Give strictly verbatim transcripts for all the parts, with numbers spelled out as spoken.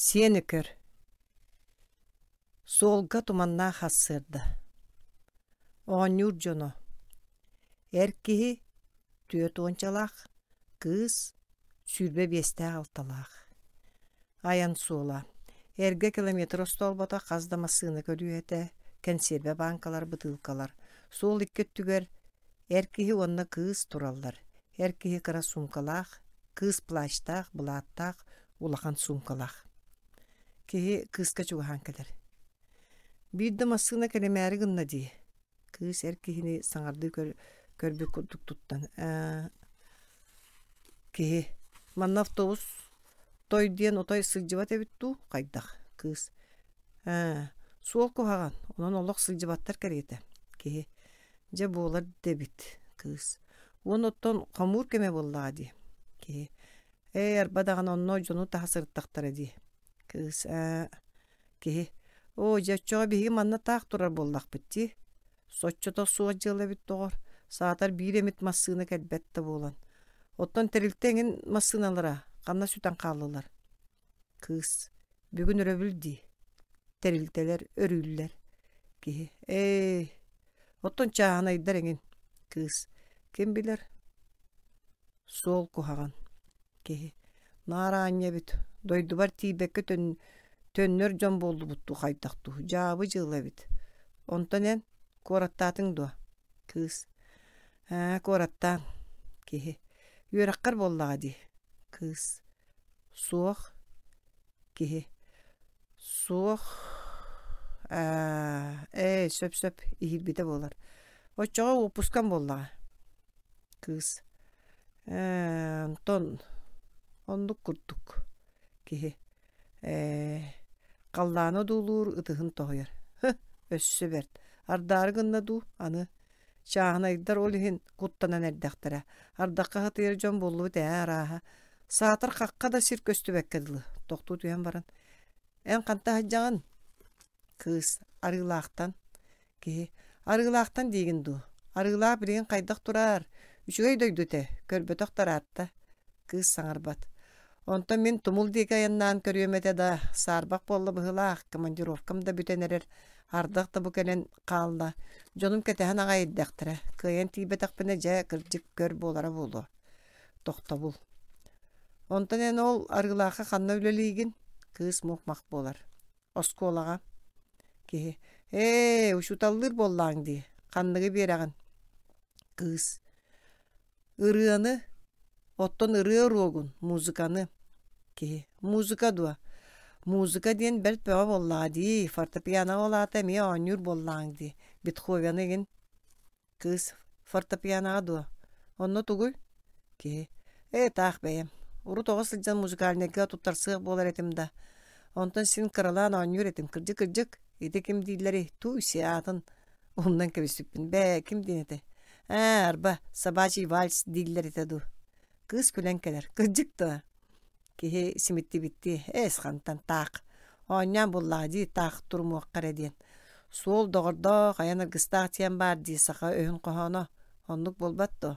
Сиэн Өкөр Суолга туманнаах сарсыарда Оонньуур дьоно Эр киһи түөрт уончалаах, кыыс сүүрбэ биэстээх алталаах Айан суола Эргэ километр остоолбото хас да массыына көлүөһэтэ, кэнсиэрбэ бааҥкалар, бытыылкалар. Суол икки өттүгэр эр киһи уонна кыыс тураллар. Эр киһи кыра суумкалаах, кыыс плащтаах, былааттаах, улахан суумкалаах. Киһи кыыска чугаһаан кэлэр. Биир да массыына кэлимээри гынна дии. Кыыс эр киһини саҥардыы көр, көрбүт курдук туттан ээ киһи манна автобус той диэн отой сылдьыбат эбит дуу хайдах кыыс ээ суол куһаҕан онон олох сылдьыбаттар кэриэтэ киһи дьэ буолар да эбит кыыс уон оттон хомуур кэмэ буоллаҕа дии киһи ээ арба даҕаны онно дьону таһа сырыттахтара дии кыыс ээ киһи оо дьэ оччоҕо биһиги манна таах турар буоллахпыт дии соччото суох дьыала эбит доҕор саатар биир эмит массыына кэлбэт да буолан оттон тэрилтэ эҥин массыыналара ханна сүтэн хааллылар кыыс бүгүн өрөбүл дии тэрилтэлэр өрүүллэр киһи ээ оттон чааһынайдар эҥин кыыс ким билэр суол куһаҕан киһи наар аанньа эбит дойдубар тиийбэккэ төн төннөр дьон буоллубут дуу хайдах дуу дьаабы дьыала эбит онтон эн куораттаатыҥ дуо кыыс ээ куораттаан киһи үөрэххэр буоллаҕа дии кыыс суох киһи суох ээ ээ сөп-сөп иһийбитэ буолар оччоҕо уоппускам буоллаҕа кыыс ээ онтон оннук курдук киһи ээ халлааны одуулуур ытыһын тоһуйар һы өссө бэрт ардаары гынна дуу аны чааһынайдар ол иһин куттанан эрдэхтэрэ ардахха хатыйар дьон буоллубут ээ арааһа саатар хахха да сир көстүбэккэ дылы тохтуу түһэн баран эн ханта сылдьаҕын кыыс арыылаахтан киһи арыылаахтан диигин дуу арыылаах билигин хайдах турар үчүгэй дойду этэ көрбөтөх да ыраатта кыыс саҥарбат онтон мин тумул диэки айаннаан көрүөм этэ да саарбах буолла быһыылаах командировкам да бүтэн эрэр ардах да бу кэлэн хаалла дьонум кэтэһэн аҕай эрдэхтэрэ кыайан тиийбэтэхпинэ дьэ кырдьык көр буолара буолуо тохтобул онтон эн ол арыылаахха ханна үлэлиигин кыыс мух-мах буолар оскуолаҕа киһи ээ учууталлыыр буоллааҥ дии ханныгы биэрэҕин кыыс ырыаны оттон ырыа уруогун музыканы киһи музыка дуо музыка диэн бэрт бөҕө буоллаҕа дии фортепиано ол аата эмиэ оонньуур буоллаҕыҥ дии бетховены игин кыыс фортепианоҕа дуо онно тугуй киһи ээ таах бэйэм урут оҕо сылдьан музыкальнайга туттарсыах буолар этим да онтон син кыралаан оонньуур этим кырдьык-кырдьык ити ким дииллэрий тууй-сиэ аатын умнан кэбиспиппин бээ ким диэн этэ ээ арба собачий вальс дииллэр этэ дуу кыыс күлэн кэлэр кырдьык дуо киһи симиттибиттии эс хантан таах оонньоон буоллаҕа дии таах турумуохха эрэ диэн суол доҕордоох айан аргыстаах диэн баар дии саха өһүн хоһооно оннук буолбат дуо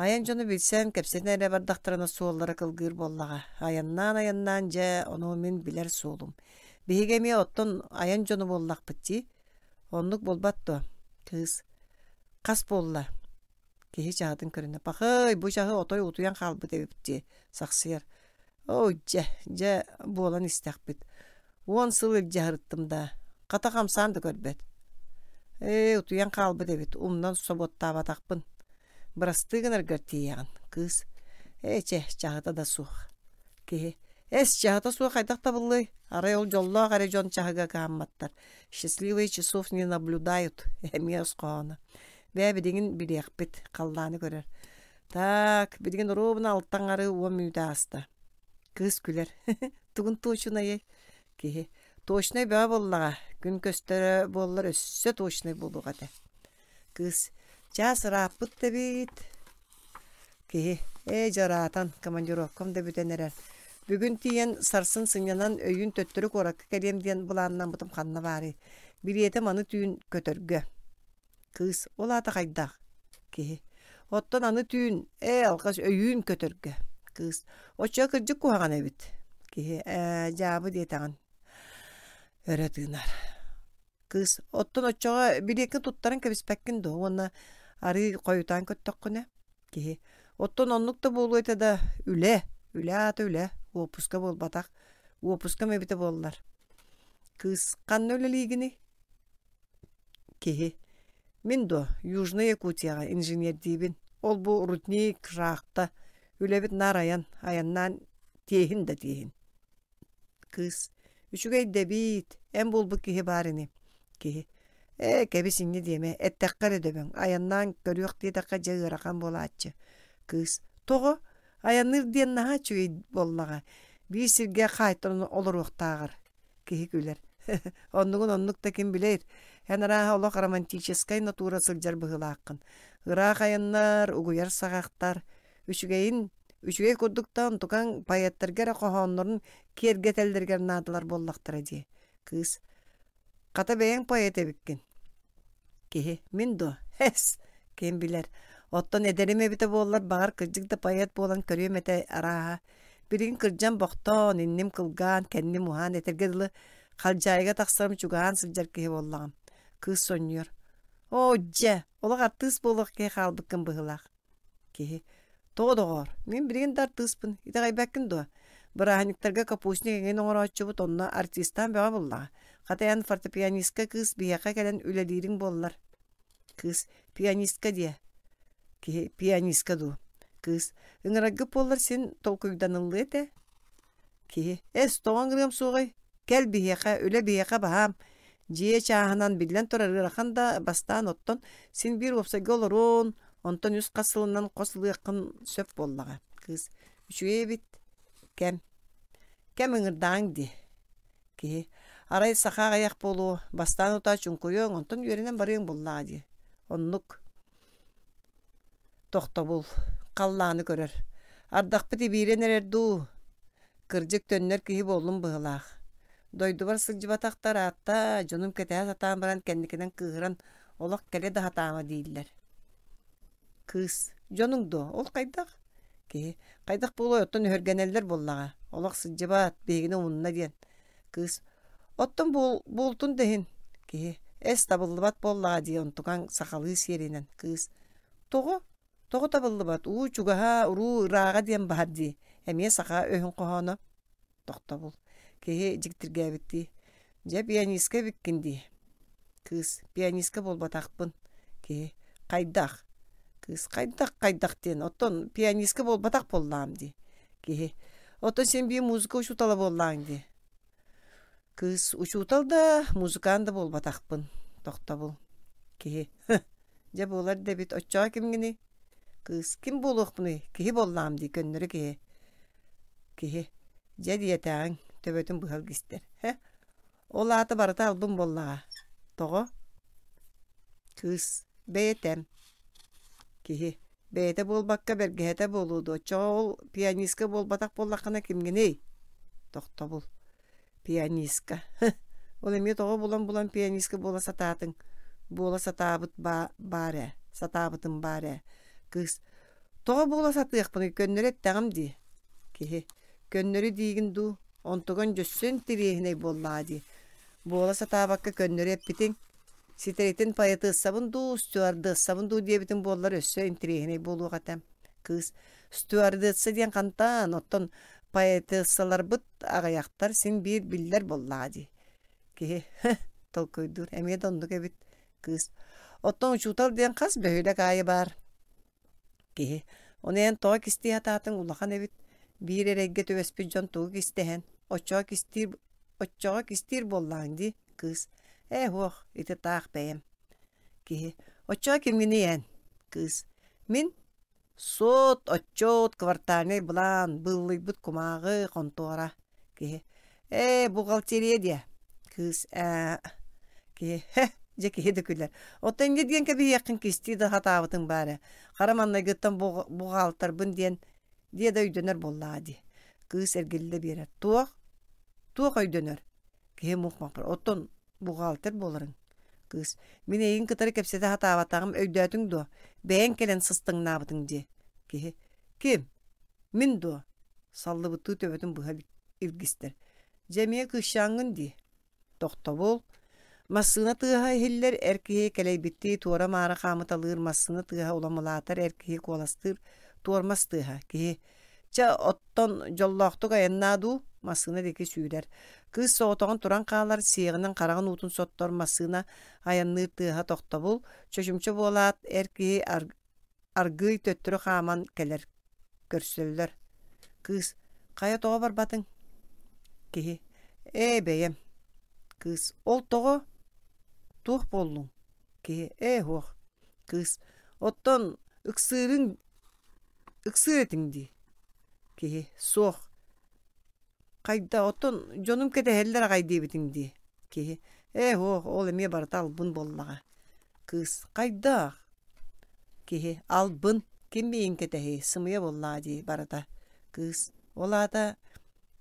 айан дьону билсэн кэпсэтэн эрэ бардахтарына суоллара кылгыыр буоллаҕа айаннаан-айаннаан дьэ ону мин билэр суолум биһиги эмиэ оттон айан дьоно буоллахпыт дии оннук буолбат дуо кыыс хас буолла киһи чаһытын көрүнэ пахай бу чаһы отой утуйан хаалбыт эбиппит дии сахсыйар оо дьэ дьэ буолан истэхпит уон сыл илдьэ сырыттым да хата хамсаан да көрбөт ээ утуйан хаалбыт эбит умнан собуоттаабатахпын бырастыы гынаргар тиийэҕин кыыс ээ чэ чаһыта да суох киһи эс чаһыта суох хайдах табыллыай арай ол дьоллоох эрэ дьон чаһыга кыһамматтар счастливые часов не наблюдают эмиэ өс хоһооно бээ билигин билиэхпит халлааны көрөр так билигин оруобуна алта аҥары уон мүнүүтэ ааста кыыс күлэр тугун туочунайый киһи точнай бөҕө буоллаҕа күн көстөрө буоллар өссө точнай буолуох этэ кыыс чаас ырааппыт да эбит киһи ээ дьэ ыраатан командировкам да бүтэн эрэр бүгүн тиийэн сарсын сынньанан өйүүн төттөрү куоракка кэлиэм диэн былааннаммытым ханна баарый билиэтим аны түүн көтөргө кыыс ол аата хайдах киһи оттон аны түүн ээ алҕас өйүүн көтөргө кыыс оччо кырдьык куһаҕан эбит Киһи ээ дьаабы диэтэҕин. Өрө тыынар. Кыыс оттон оччоҕо билиэккин туттаран кэбиспэккин дуо уонна арыый хойутаан көттөххүнэ? Киһи оттон оннук да буолуо этэ да үлэ, үлэ аата үлэ, уоппуска буолбатах. Уоппускам эбитэ буоллар. Кыыс ханна үлэлиигиний? Киһи мин дуо Южнай Якутияҕа инженердиибин. Ол бу рудник, шахта. Үлэбит наар айан, айаннаан тиэһин да тиэһин. Кыыс үчүгэй да эбиит, эн буолбут киһи баар ини. Киһи ээ кэбис инньэ диэмэ, эттэххэ эрэ дөбөҥ, айаннаан көрүөх диэтэххэ дьэ ыарахан буолааччы. Кыыс тоҕо? Айанныыр диэн наһаа үчүгэй буоллаҕа. Биир сиргэ хаайтаран олоруохтааҕар. Киһи күлэр. Оннугун оннук да ким билэр. Эн арааһа олох романтическай натура сылдьар быһыылааххын. Ыраах айаннар, угуйар саҕахтар. Үчүгэйин, үчүгэй курдук да онтукаҥ поэттарга эрэ хоһооннорун киэргэтэллэригэр наадалар буоллахтара дии. Кыыс хата бэйэҥ поэт эбиккин. Киһи мин дуо? Эс, ким билэр. Оттон эдэрим эбитэ буоллар, баҕар кырдьык да поэт буолан көрүөм этэ арааһа. Билигин кырдьан бохтоон, инним кылгаан, кэнним уһаан, этэргэ дылы халдьаайыга тахсарым чугаһаан сылдьар киһи буоллаҕым. Кыыс сонньуйар. Оо, дьэ, олох артыыс буолуох киһи хаалбыккын быһыылаах. Киһи тоҕо доҕоор, мин билигин да артыыспын, итэҕэйбэккин дуо? Бырааһынньыктарга капустник эҥин оҥорооччубут онно артистаан бөҕө буоллаҕа. Хата эн фортепианистка кыыс биһиэхэ кэлэн үлэлиириҥ буоллар. Кыыс пианистка диэ. Киһи пианистка дуу. Кыыс ыҥыраргыт буоллар син толкуйданыллыа этэ. Киһи эс тоҕо ыҥырыам суоҕай? Кэл биһиэхэ, үлэ биһиэхэ баһаам. Дьиэ чааһынан биллэн турар ыарахан да бастаан оттон син биир уопсайга олоруон, онтон үс хас сылынан хос ылыаххын сөп буоллаҕа. Кыыс үчүгэй эбит. Кэм. Кэм ыҥырдаҕыҥ дии. Киһи арай саха аҕыйах буолуо, бастаан утаа чуҥкуйуоҥ, онтон үөрэнэн барыаҥ буоллаҕа дии. Оннук. Тохтобул. Халлааны көрөр. Ардахпыт ибиирэн эрэр дуу? Кырдьык төннөр киһи буоллум быһыылаах. Дойдубар сылдьыбатахтар аатта, дьонум кэтэһэ сатаан баран кэнникинэн кыыһыран олох кэлэ да сатаама дииллэр. Кыыс дьонуҥ дуо? Ол хайдах? Киһи хайдах буолуой оттон өһүргэнэллэр буоллаҕа. Олох сылдьыбат, биһигини умунна диэн. Кыыс оттон буол, буолтун да иһин. Киһи эс табыллыбат буоллаҕа дии онтукаҥ сахалыы сиэринэн. Кыыс тоҕо? Тоҕо табыллыбат? Уу чугаһа, уруу ырааҕа диэн баһар дии. Эмиэ саха өһүн хоһооно. Тохтобул. Киһи дьиктиргээбиттии. Дьэ пианистка эбиккин дии. Кыыс пианистка буолбатахпын. Киһи хайдах? Кыыс хайдах хайдах диэн. Оттон пианистка буолбатах буоллаҕым дии. Киһи оттон син биир музыка учуутала буоллаҕыҥ дии. Кыыс учуутал да, музыкант да буолбатахпын. Тохтобул. Киһи дьэ буолар да эбит. Оччоҕо кимҥиний? Кыыс ким буолуохпунуй? Киһи буоллаҕым дии, көннөрү киһи. Киһи дьэ диэтэҕиҥ, төбөтүн быһа илгистэр. Хэ, ол аата барыта албын буоллаҕа. Тоҕо? Кыыс бэйэтэм. Киһи бэйэтэ буолбакка бэргэһэтэ буолуо дуо? Оччоҕо ол пианистка буолбатах буоллаххына кимҥиний? Тохтобул. Пианистка. Ол эмиэ тоҕо булан-булан пианистка буола сатаатыҥ? Буола сатаабыт баар ээ, сатаабытым баар ээ. Кыыс тоҕо буола сатыахпыный, көннөрү эттэҕим дии. Киһи көннөрү диигин дуу, онтуган дьөссө интэриэһинэй буоллаҕа дии. Буола сатаабакка көннөрү эппитиҥ. Ситэритин поэтессабын дуу, стюардессабын дуу диэбитиҥ буоллар өссө интэриэһинэй буолуох этэ. Кыыс стюардесса диэн хантан, оттон поэтессаларбыт аҕыйахтар син биир биллэр буоллаҕа дии. Киһи толкуйдуур, эмиэ да оннук эбит. Кыыс оттон учуутал диэн хас бөһүөлэк аайы баар. Киһи ону эн тоҕо кистии сатаатыҥ улахан эбит. Биир эрэйгэ түбэспит дьон тугу кистэһэн, оччоҕо кистиир, оччоҕо кистиир буоллаҕыҥ дии. Кыыс ээ суох, ити таах бэйэм. Киһи оччоҕо кимҥиний эн? Кыыс мин суот, отчуот, квартальнай былаан, быыллыйбыт кумааҕы, хонтуора. Киһи ээ бухгалтерия диэ. Кыыс ээ киһи хэ дьэ киһи да күлэр. Оттон инньэ диэн кэбиһиэххин кистии да сатаабытыҥ баар ээ. Хара маҥнайгыттан бухгалтарбын диэн диэ да өйдөнөр буоллаҕа дии. Кыыс эргиллэ биэрэр. Туох? Туох өйдөнөр? Киһи мух-мах Оттон бухгалтер буоларыҥ. Кыыс мин эйигин кытары кэпсэтэ сатаабатаҕым өйдөөтүҥ дуо? Бэйэҥ кэлэн сыстыҥнаабытыҥ дии. Киһи ким? Мин дуо? Саллыбыттыы төбөтүн быһа илгистэр. Дьэ эмиэ кыысчааҥҥын дии. Тохтобул. Массыына тыаһа иһиллэр, эр киһи кэлэйбиттии туора-маара хаамыталыыр, массыына тыаһа улам улаатар, эр киһи куоластыыр, туормас тыаһа. Киһи чэ, оттон дьоллоохтук айаннаа дуу, массыына диэки сүүрэр. Кыыс соҕотоҕун туран хаалар, сиэҕинэн хараҕын уутун соттор, массыына айанныыр тыаһа тохтобул. Чочумча буолаат, эр киһи аргыый төттөрү хааман кэлэр. Көрсөллөр. Кыыс хайа тоҕо барбатыҥ? Киһи ээ бэйэм. Кыыс ол тоҕо? Туох буоллуҥ? Киһи ээ һуох. Кыыс оттон ыксыырыҥ ыксыыр этиҥ дии. Киһи суох. Хайда оттон дьонум кэтэһэллэр аҕай диэбитиҥ дии. Киһи ээ һуох ол эмиэ барыта албын буоллаҕа. Кыыс хайдах? Киһи албын ким миигин кэтэһиэй сымыйа буоллаҕа дии барыта. Кыыс ол аата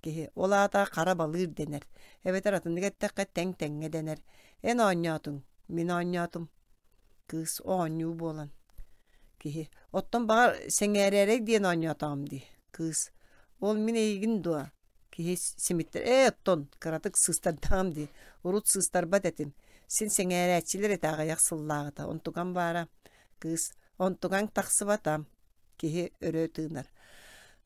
киһи ол аата хара балыыр дэнэр эбэтэр атыннык эттэххэ тэҥ-тэҥҥэ дэнэр. Эн оонньоотуҥ, мин оонньоотум. Кыыс оонньуу буолан. Киһи оттон баҕар сэҥээрээрэй диэн оонньоотоҕум дии. Кыыс ол мин эйигин дуо? Киһи симиттэр ээ оттон кыратык сыыстардаҕым дии. Урут сыыстарбат этим. Син сэҥээрээччилэр этэ аҕыйах сыллааҕыта. Онтукам баара. Кыыс онтукаҥ тахсыбата. Киһи өрө тыынар.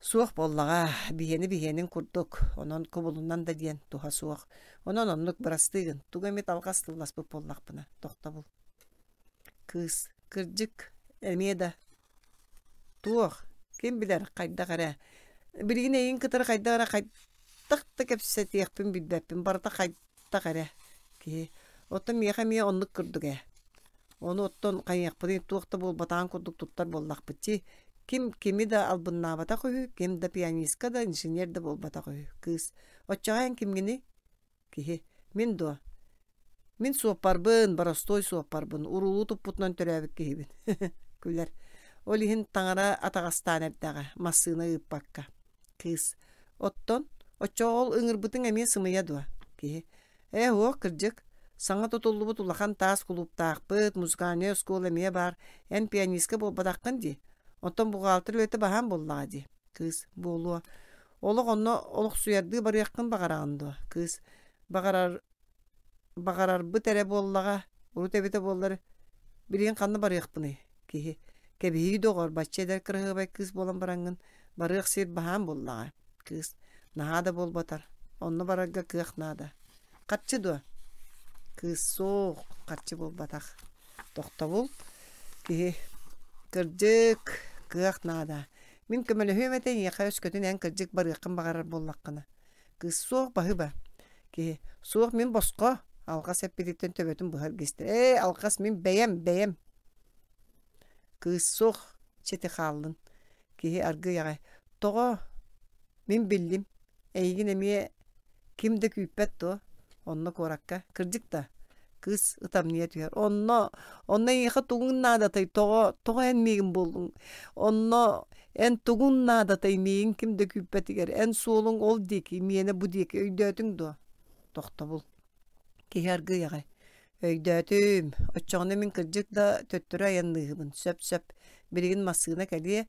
Суох буоллаҕа, биһиэни биһиэнин курдук, онон кубулунан да диэн туһа суох. Онон оннук бырастыы гын, тугу эмит алҕас тылласпыт буоллахпына, тохтобул. Кыыс, кырдьык, эмиэ да. Туох, ким билэр, хайдах эрэ. Билигин эйигин кытары хайдах эрэ хайдах да кэпсэтиэхпин билбэппин, барыта хайдах эрэ. Киһи, оттон миэхэ эмиэ оннук курдук ээ. Ону оттон хайыахпытый туох да буолбатаҕын курдук туттар буоллахпыт дии. Ким кими да албыннаабатах үһү, ким да пианистка да, инженер да буолбатах үһү. Кыыс, оччоҕо эн кимҥиний? Киһи, мин дуо? Мин суоппарбын, боростуой суоппарбын, уруулуу туппутунан төрөөбүт киһибин. Күлэр. Ол иһин таҥара атаҕастаан эрдэҕэ, массыына ыыппакка. Кыыс, оттон, оччоҕо ол ыҥырбытыҥ эмиэ сымыйа дуо? Киһи, ээ уох, кырдьык, саҥа тутуллубут улахан таас кулууптаахпыт, музыкальнай оскуола эмиэ баар, эн пианистка буолбатаххын дии. Оттон бухгалтер үлэтэ баһаам буоллаҕа дии. Кыыс, буолуо. Олох онно олохсуйардыы барыаххын баҕараҕын дуо? Кыыс, баҕарар баҕарарбыт эрэ буоллаҕа, урут эбитэ буоллар, билигин ханна барыахпыный? Киһи, кэбиһии доҕор, бачча эдэр кыраһыабай кыыс буолан бараҥҥын, барыах сир баһаам буоллаҕа. Кыыс, наһаа да буолбатар, онно барарга кыах наада. Харчы дуо? Кыыс, суох, харчы буолбатах. Тохтобул. Киһи, кырдьык, кыах наада. Мин көмөлөһүөм этэ эйиэхэ өскөтүн эн кырдьык барыаххын баҕарар буоллаххына. Кыыс, суох баһыыба. Киһи, суох мин босхо. Алҕас эппититтэн төбөтүн быһа илгистэр. Ээ, алҕас мин бэйэм, бэйэм. Кыыс, суох, чэ хааллын. Киһи аргыый аҕай. Тоҕо? Мин биллим. Эйигин эмиэ ким да күүппэт дуо? Онно куоракка. Кырдьык да? Кыыс ытамньыйа түһэр. Онно, онно эйиэхэ тугуҥ наадатай? Тоҕо, тоҕо эн миигин буллуҥ? Онно эн тугуҥ наадатай миигин ким да күүппэтигэр? Эн суолуҥ ол диэки, миэнэ бу диэки. Өйдөөтүҥ дуо? Тохтобул. Киһи аргыый аҕай. Өйдөөтүм. Оччоҕуна мин кырдьык да төттөрү айанныыһыбын. Сөп-сөп. Билигин массыына кэлиэ,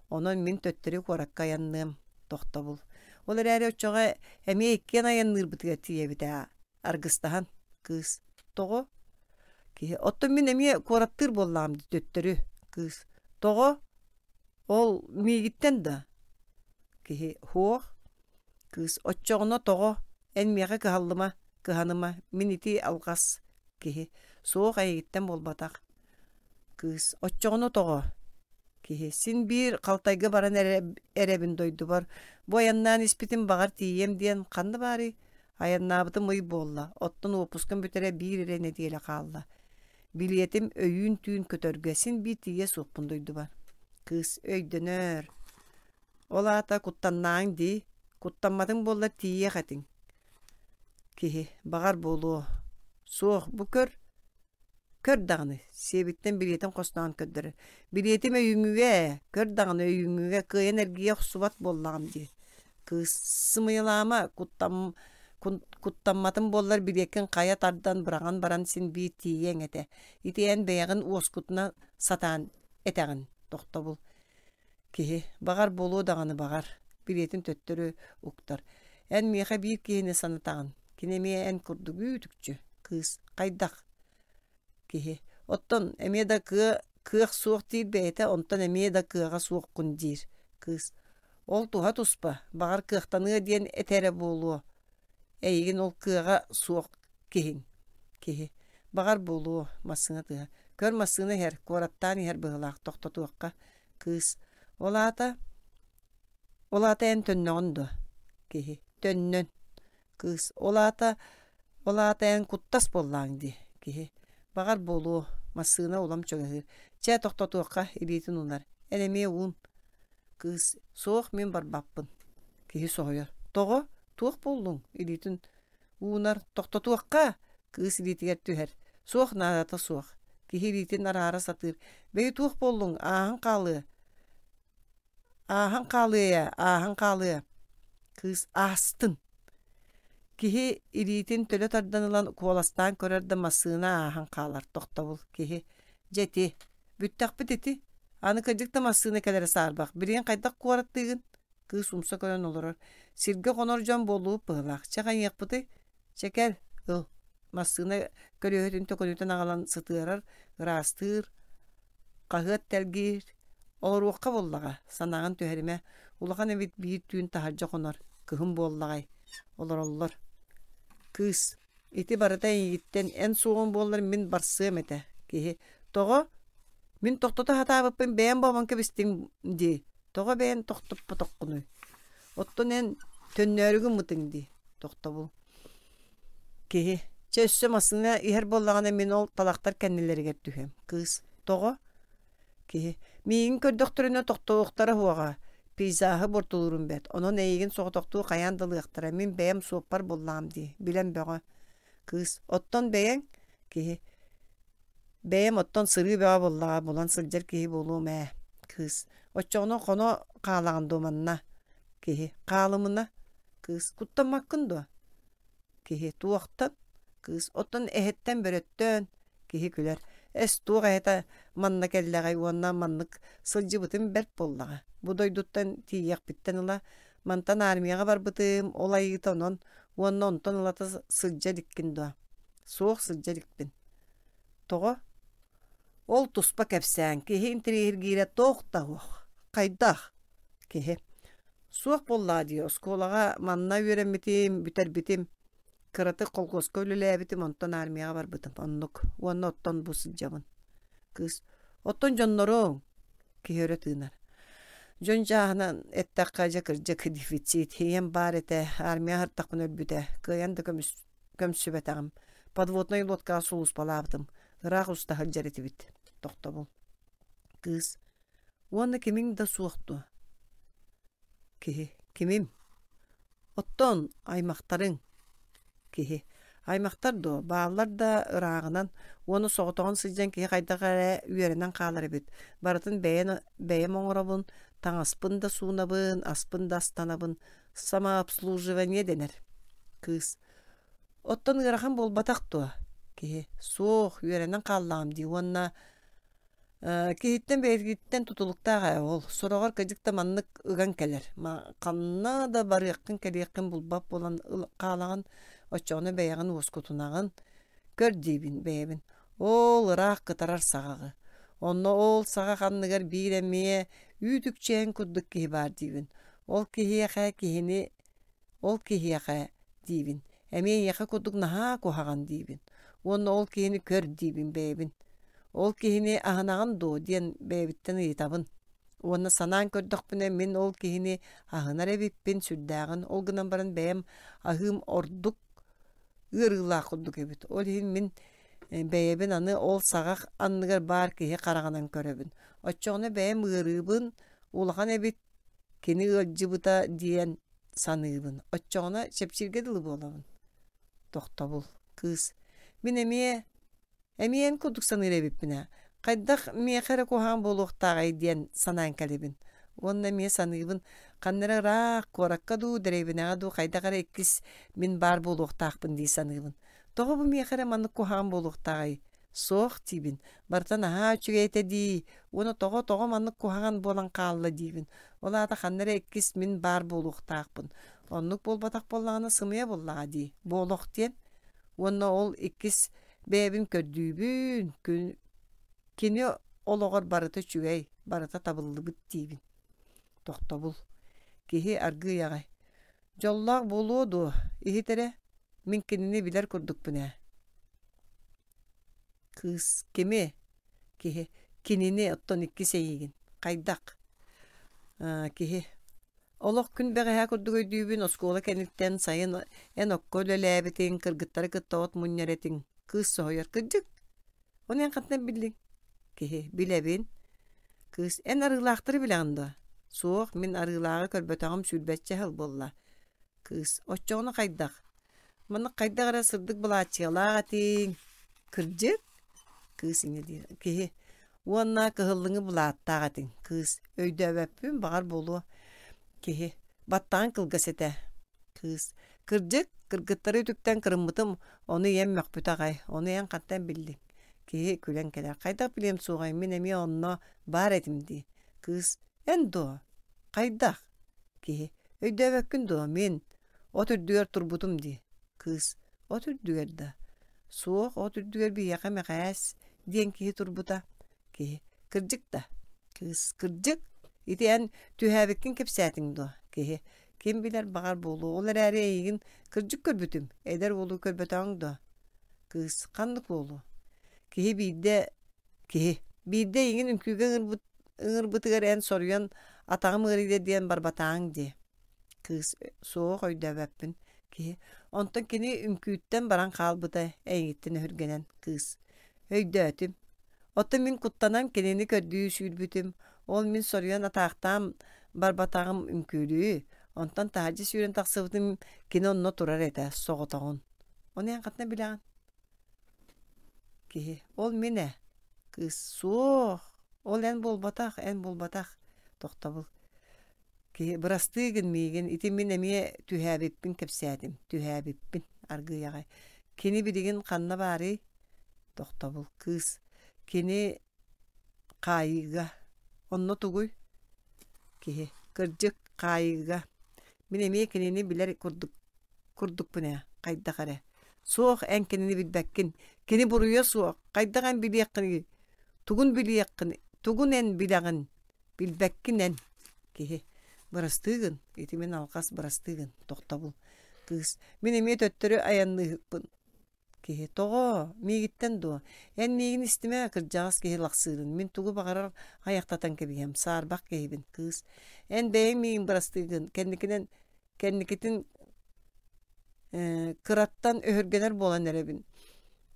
онон мин төттөрү куоракка айанныам. Тохтобул. Ол эрээри оччоҕо эмиэ иккиэн айанныырбытыгар тиийэбит ээ. Аргыстаһан. Кыыс. Тоҕо? Киһи. Оттон мин эмиэ куораттыыр буоллаҕым дии төттөрү. Кыыс. Тоҕо? Ол миигиттэн да? Киһи. Һуох. Кыыс. Оччоҕуна тоҕо? Эн миэхэ кыһаллыма, кыһаныма, мин ити алҕас. Киһи. Суох эйигиттэн буолбатах. Кыыс. Оччоҕуна тоҕо? Киһи. Син биир халтайга баран эрэ эрэбин дойдубар. Бу айаннаан испитим баҕар тиийиэм диэн ханна баарый? Айаннаабытым ый буолла, оттон уоппускам бүтэрэ биир эрэ нэдиэлэ хаалла. Билиэтим өйүүн түүн көтөргө син биир тиийиэ суохпун дойдубар. Кыыс өйдөнөр. Ол аата куттаннааҥ дии, куттамматыҥ буоллар тиийиэх этиҥ. Киһи, баҕар буолуо. Суох, бу көр, көр даҕаны, сиэбиттэн билиэтин хостоон көрдөрөр. Билиэтим өйүүҥҥүгэ ээ, көр даҕаны өйүүҥҥүгэ кыайан эргийэ охсубат буоллаҕым дии. Кыыс, сымыйалаама, куттам, куттамматым буоллар билиэккин хайа тардан быраҕан баран син биир тиийиэҥ этэ. Ити эн бэйэҕин уоскутуна сатаан этэҕин, тохтобул. Киһи, баҕар буолуо даҕаны баҕар, билиэтин төттөрү уктар. Эн миэхэ биир киһини санатаҕын. Кини эмиэ эн курдук үүт-үкчү. Кыыс. Хайдах? Киһи. Оттон эмиэ да кыа кыах суох диир бэйэтэ, онтон эмиэ да кыаҕа суоххун диир. Кыыс. Ол туһа туспа, баҕар кыахтаныа диэн этэрэ буолуо. Эйигин ол кыаҕа суох киһиҥ. Киһи. Баҕар буолуо, массыына тыаһа. Көр массыына иһэр, куораттаан иһэр быһыылаах, тохтотуохха. Кыыс. Ол аата Ол аата эн төннөҕүн дуо? Киһи. Төннөн. Кыыс. Ол аата Ол аата эн куттас буоллаҕыҥ дии. Киһи. Баҕар буолуо. Массыына улам чугаһыыр. Чэ, тохтотуохха, илиитин уунар. Эн эмиэ уун. Кыыс. Суох, мин барбаппын. Киһи соһуйар. Тоҕо? Туох буоллуҥ? Илиитин уунар. Тохтотуохха! Кыыс илиитигэр түһэр. Суох наадата суох. Киһи илиитин араара сатыыр. Бэйи туох буоллуҥ? Ааһан хаалыа. Ааһан хаалыа ээ, ааһан хаалыа. Кыыс аастын. Киһи илиитин төлө тардан ылан куоластаан көрөр да массыына ааһан хаалар тохтобул киһи дьэ ити бүттэхпит ити аны кырдьык да массыына кэлэрэ саарбах билигин хайдах куораттыыгын кыыс умса көрөн олорор сиргэ хонор дьон буоллубут быһыылаах чэ хайыахпытый чэ кэл ыл массыына көлүөһэтин төкүнүтэн аҕалан сытыарар ыраастыыр хаһыат тэлгиир олоруохха буоллаҕа санааҕын түһэримэ улахан эбит биир түүн таһырдьа хонор кыһын буоллаҕай олороллор кыыс ити барыта эйигиттэн эн суоҕуҥ буоллар мин барсыам этэ киһи тоҕо мин тохтото сатаабыппын бэйэм буолан кэбистиҥ дии тоҕо бэйэн тохтоппотоххунуй оттон эн төннөөрү гыммытыҥ дии тохтобул киһи чэ өссө массыына иһэр буоллаҕына мин ол талахтар кэннилэригэр түһүөм кыыс тоҕо киһи миигин көрдөхтөрүнэ тохтуохтара суоҕа пейзаһы буортулуурум бэрт онон эйигин соҕотохтуу хайаан да ылыахтара мин бэйэм суоппар буоллаҕым дии билэн бөҕө кыыс оттон бэйэҥ киһи бэйэм оттон сырыы бөҕө буоллаҕа булан сылдьар киһи буолуом ээ кыыс оччоҕуна хоно хаалаҕын дуо манна киһи хаалымына кыыс куттаммаккын дуо киһи туохтан кыыс оттон эһэттэн бөрөттөн киһи күлэр эс туох эһэтэ манна кэллэҕэй уонна маннык сылдьыбытым бэрт буоллаҕа бу дойдуттан тиийиэхпиттэн ыла мантан армияҕа барбытым ол айыыта онон уонна онтон ылата сылдьа иликкин дуо суох сылдьа иликпин тоҕо ол туспа кэпсээн киһи интэриэһиргиирэ туох да суох хайдах киһи суох буоллаҕа дии оскуолаҕа манна үөрэммитим бүтэрбитим кыратык колхуоска үлэлээбитим онтон армияҕа барбытым оннук уонна оттон бу сылдьабын кыыс оттон дьонноруҥ киһи өрө тыынар дьон чааһынан эттэххэ дьэ кырдьык дефицит ийэм баар этэ армия аһартахпына өлбүтэ кыайан да көмүс көмсүбэтэҕим подводнай лодкаҕа сулууспалаабытым ыраах уста сылдьар этибит тохтобул кыыс уонна кимиҥ да суох дуо киһи кимим оттон аймахтарыҥ киһи аймахтар дуо бааллар да ырааҕынан уонна соҕотоҕун сылдьан киһи хайдах эрэ үөрэнэн хаалар эбит барытын бэйэн бэйэм оҥоробун таҥаспын да суунабын аспын да астанабын самообслуживание дэнэр кыыс оттон ыарахан буолбатах дуо киһи суох үөрэнэн хааллаҕым дии уонна киһиттэн бэйэтиттэн тутулуктаах ээ ол сороҕор кырдьык да маннык ыган кэлэр ханна да барыаххын кэлиэххин булбат буолан хаалаҕын оччоҕуна бэйэҕин уоскутунаҕын көр диибин бэйэбин ол ыраах кытарар саҕаҕы онно ол саҕах анныгар биир эмиэ үүт-үкчээн курдук киһи баар диибин ол киһиэхэ киһини ол киһиэхэ диибин эмиэ эйиэхэ курдук наһаа куһаҕан диибин уонна ол киһини көр диибин бэйэбин ол киһини аһынаҕын дуо диэн бэйэбиттэн ыйытабын уонна санаан көрдөхпүнэ мин ол киһини аһынар эбиппин сүрдээҕин ол гынан баран бэйэм аһыым ордук ыарыылаах курдук эбит ол иһин мин бэйэбин аны ол саҕах анныгар баар киһи хараҕынан көрөбүн оччоҕуна бэйэм ыарыыбын улахан эбит кини ыалдьыбыта диэн саныыбын оччоҕуна чэпчииргэ дылы буолабын тохтобул кыыс мин эмиэ эмиэ эн курдук саныыр эбиппин ээ хайдах миэхэ эрэ куһаҕан буолуохтааҕый диэн санаан кэлэбин уонна эмиэ саныыбын ханна эрэ ыраах куоракка дуу дэриэбинэҕэ дуу хайдах эрэ иккис мин баар буолуохтаахпын дии саныыбын тоҕо бу миэхэ эрэ маннык куһаҕан буолуохтааҕый суох диибин барыта наһаа үчүгэй этэ дии уонна тоҕо тоҕо маннык куһаҕан буолан хаалла диибин ол аата ханна эрэ иккис мин баар буолуохтаахпын Оннук буолбатах буоллаҕына сымыйа буоллаҕа дии. Бу олох диэн. Уонна ол иккис бэйэбин көрдүүбүн. Күн кини олоҕор барыта үчүгэй, барыта табыллыбыт диибин. Тохтобул. Киһи аргыый аҕай. Дьоллоох буолуо дуо? Иһит эрэ. Мин кинини билэр курдукпун ээ. Кыыс. Кими? Киһи. Кинини оттон иккис эйигин. Хайдах? Аа, киһи. Олох күн бэҕэһээ курдук өйдүүбүн, оскуола кэнниттэн сайын эн окко үлэлээбитиҥ, кыргыттары кытта от мунньар этиҥ. Кыыс соһуйар. Кырдьык? Ону эн хантан биллиҥ? Киһи. Билэбин. Кыыс. Эн арыылаахтары билэҕин дуо? Суох, мин арыылааҕы көрбөтөҕүм сүүрбэччэ сыл буолла. Кыыс. Оччоҕуна хайдах? Маннык хайдах эрэ сырдык былааччыйалаах этиҥ. Кырдьык? Кыыс инньэ диир. Киһи. Уонна кыһыллыҥы былааттаах этиҥ. Кыыс. Өйдөөбөппүн, баҕар буолуо. Киһи. Баттаҕыҥ кылгас этэ. Кыыс. Кырдьык, кыргыттары үтүктэн кырыммытым, ону ийэм мөхпүтэ аҕай. Ону эн хантан биллиҥ? Киһи күлэн кэлэр. Хайдах билиэм суоҕай, мин эмиэ онно баар этим дии. Кыыс. Эн дуо? Хайдах? Киһи. Өйдөөбөккүн дуо, мин от үрдүгэр турбутум дии. Кыыс. От үрдүгэр да? Суох, от үрдүгэр биһиэхэ Мэхээс диэн киһи турбута. Киһи. Кырдьык да? Кыыс. Кырдьык? Ити эн түһээбиккин кэпсээтиҥ дуо? Киһи. Ким билэр баҕар буолуо, ол эрээри эйигин кырдьык көрбүтүм, эдэр уолу көрбөтөҕүҥ дуо? Кыыс. Ханнык уолу? Киһи биирдэ киһи. Биирдэ эйигин үҥкүүгэ ыҥырбыт ыҥырбытыгар эн соруйан атаҕым ыарыйда диэн барбатааҥ дии. Кыыс. Суох, өйдөөбөппүн. Киһи. Онтон кини үҥкүүттэн баран хаалбыта, эйигиттэн өһүргэнэн. Кыыс. Өйдөөтүм. Оттон мин куттанан кинини көрдүү сүүрбүтүм. Ол мин соруйан атаахтаан барбатаҕым үҥкүүлүү. Онтон таһырдьа сүүрэн тахсыбытым кини онно турар этэ, соҕотоҕун. Ону эн хантан билэҕин? Киһи. Ол мин ээ. Кыыс. Суох. Ол эн буолбатах, эн буолбатах. Тохтобул. Киһи. Бырастыы гын миигин, ити мин эмиэ түһээбиппин кэпсээтим. Түһээбиппин. Аргыый аҕай. Кини билигин ханна баарый? Тохтобул. Кыыс. Кини хаайыыга. Онно тугуй? Киһи. Кырдьык, хаайыыга. Мин эмиэ кинини билэр курдук курдукпун ээ, хайдах эрэ. Суох, эн кинини билбэккин. Кини буруйа суох. Хайдах эн билиэххиний? Тугун билиэххин, тугун эн билэҕин? Билбэккин эн. Киһи. Бырастыы гын. Ити мин алҕас бырастыы гын. Тохтобул. Кыыс. Мин эмиэ төттөрү айанныыһыкпын. Киһи. Тоҕо? Миигиттэн дуо? Эн миигин истимэ, кырдьаҕас киһи лахсыырын. Мин тугу баҕарар айахтатан кэбиһиэм. Саарбах киһибин. Кыыс. Эн бэйэҥ миигин бырастыы гын. Кэнникинэн кэнникитин э, кыраттан өһүргэнэр буолан эрэбин.